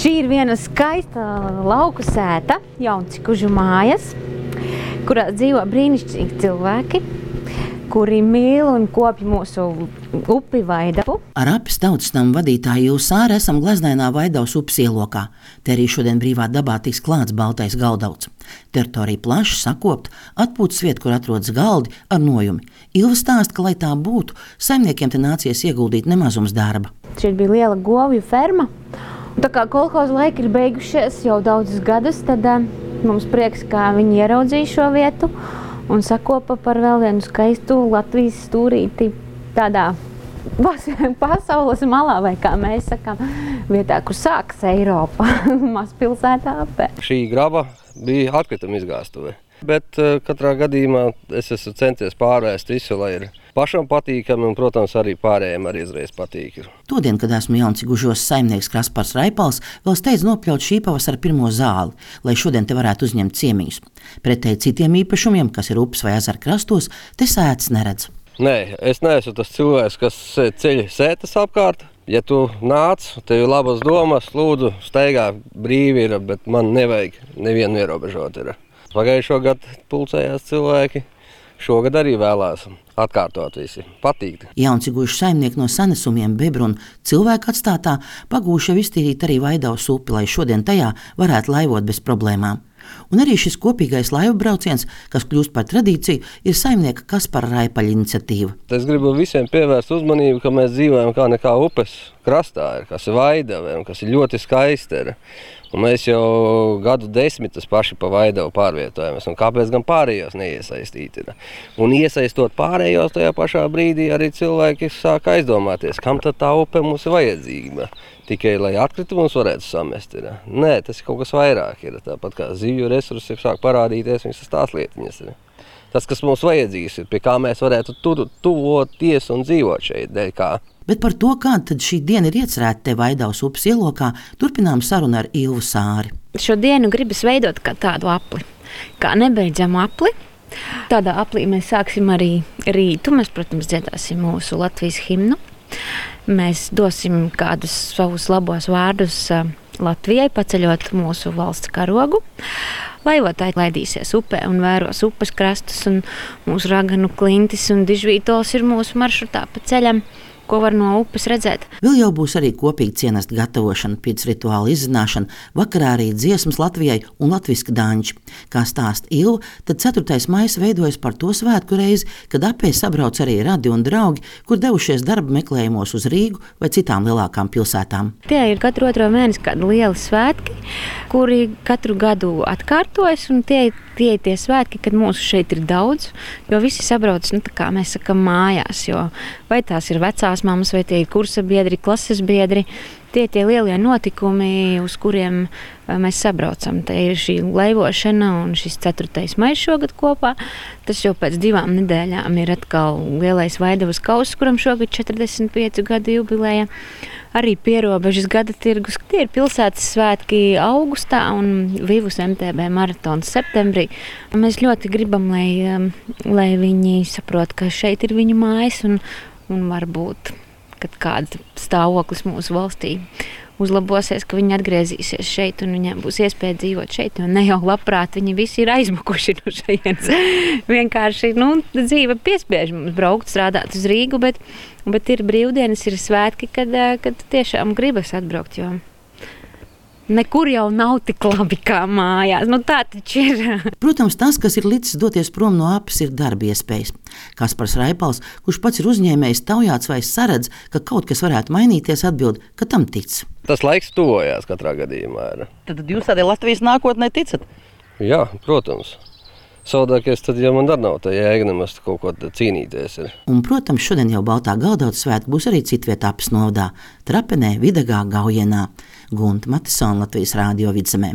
Šī ir viena skaista lauku sēta, Jauncikužu mājas, kurā dzīvo brīnišķīgi cilvēki, kuri mīl un kopj mūsu upi Vaidavu. Ar Apes tautas namu vadītāju Ilvu Sāri esam Gleznainā Vaidavas upes ielokā. Te arī šodien brīvā dabā tiks klāts baltais galdauts. Teritorija plaši sakopta, atpūtas vieta, kur atrodas galdi ar nojumi. Ilva stāsta, ka, lai tā būtu, saimniekiem te nācies ieguldīt nemazums darba. Šeit bija liela govju ferma. Tā kā kolhoza laiki ir beigušies jau daudzus gadus, tad mums prieks, kā viņi ieraudzīja šo vietu un sakopa par vēl vienu skaistu Latvijas stūrīti tādā pasaules malā, vai kā mēs sakām, vietā, kur sākas Eiropa, mazpilsētā Ape. Šī graba bija atkrituma izgāstuve, bet katrā gadījumā es esmu centies pārvērst visu, lai ir pašam patīkami un, protams, arī pārējiem arī izreiz patīk. Todien, kad esmu Jauncikužos saimnieks Kaspars Raipals, vēl steidz nopļaut šī pavasara pirmo zāli, lai šodien te varētu uzņemt ciemiņus. Pretēji citiem īpašumiem, kas ir upes vai ezera krastos, te sētas neredz. Nē, es neesmu tas cilvēks, kas ceļ sētas apkārt. Ja tu nāc, tev ir labas domas, lūdzu, steigā brīvi ir, bet man nevajag nevienu ierobežot. Pagājušo gadu pulcējās cilvēki. Šogad arī vēlās atkārtot visi. Patīk. Jauncikužu saimnieki no sanesumiem, bebru un cilvēku atstātā pagūši jau iztīrīt arī Vaidavas upi, lai šodien tajā varētu laivot bez problēmām. Un arī šis kopīgais laivu brauciens, kas kļūst par tradīciju, ir saimnieka Kaspara Raipaļa iniciatīva. Es gribu visiem pievērst uzmanību, ka mēs dzīvojam kā nekā upes krastā, kas ir Vaidava un kas ir ļoti skaista. Un mēs jau gadu desmitus paši pa Vaidavu pārvietojamies, un kāpēc gan pārējos neiesaistīt. Un iesaistot pārējos tajā pašā brīdī arī cilvēki sāk aizdomāties, kam tad tā upe mums ir vajadzīga. Tikai, lai atkritumus varētu samest. Nē, tas ir kaut kas vairāk. Tāpat kā zivju resursi sāk parādīties, viņas ir tās lietiņas. Tas, kas mums vajadzīgs ir, pie kā mēs varētu tuvoties un dzīvot šeit, dēļ kā. Bet par to, kāda tad šī diena ir iecerēta te Vaidavas upes ielokā, turpinām sarunu ar Ilvu Sāri. Šo dienu gribas veidot kā tādu apli, kā nebeidzamu apli. Tādā aplī mēs sāksim arī rītu. Mēs, protams, dziedāsim mūsu Latvijas himnu. Mēs dosim kādus savus labos vārdus Latvijai, paceļot mūsu valsts karogu. Laivotāji laidīsies upē un vēros upes krastus, un mūsu raganu klintis un dižvītols ir mūsu maršrutā pa ceļam, ko var no upes redzēt. Vēl jau būs arī kopīga cienesta gatavošana, pēc rituāla izzināšana, vakarā arī dziesmas Latvijai un latviski daņķi. Kā stāsta Ilva, tad 4. maijs veidojas par to svētku reizi, kad Apē sabrauc arī radi un draugi, kur devušies darba meklējumos uz Rīgu vai citām lielākām pilsētām. Tie ir katru otro mēnesi kādi lieli svētki, kuri katru gadu atkārtojas, un tie ir tie svētki, kad mūsu šeit ir daudz, jo visi sabrauc, tā kā mēs sakam, mājās, jo vai tās ir vecās mammas, vai tie ir kursa biedri, klases biedri, tie ir tie lielie notikumi, uz kuriem mēs sabraucam. Te ir šī laivošana un šis 4. maijs šogad kopā. Tas jau pēc 2 nedēļām ir atkal lielais Vaidavas kauss, kuram šogad 45 gadu jubileja. Arī pierobežas gada tirgus. Tie ir pilsētas svētki augustā un Vivus MTB maratons septembrī. Mēs ļoti gribam, lai viņi saprot, ka šeit ir viņu mājas un varbūt, kad kāds stāvoklis mūsu valstī uzlabosies, ka viņi atgriezīsies šeit un viņiem būs iespēja dzīvot šeit, jo ne jau labprāt viņi visi ir aizmukuši no šejienes. Vienkārši, dzīve piespiež mums braukt, strādāt uz Rīgu, bet ir brīvdienas, ir svētki, kad tiešām gribas atbraukt, jo nekur jau nav tik labi kā mājās. Tā taču ir. Protams, tas, kas ir licis doties prom no Apes, ir darba iespējas. Kaspars Raipals, kurš pats ir uzņēmējs, taujāts vai saredz, ka kaut kas varētu mainīties, atbild, ka tam tic. Tas laiks tuvojās katrā gadījumā. Tad jūs tādai Latvijas nākotnē ticat? Jā, protams. Savādākies tad jau man dar nav tā jēga nemaz kaut ko cīnīties. Un, protams, šodien jau baltā galdauta svētki būs arī citvietā Apes novadā – Trapenē, Vidagā, Gaujienā. Gunta Matisona, Latvijas Rādio Vidzemē.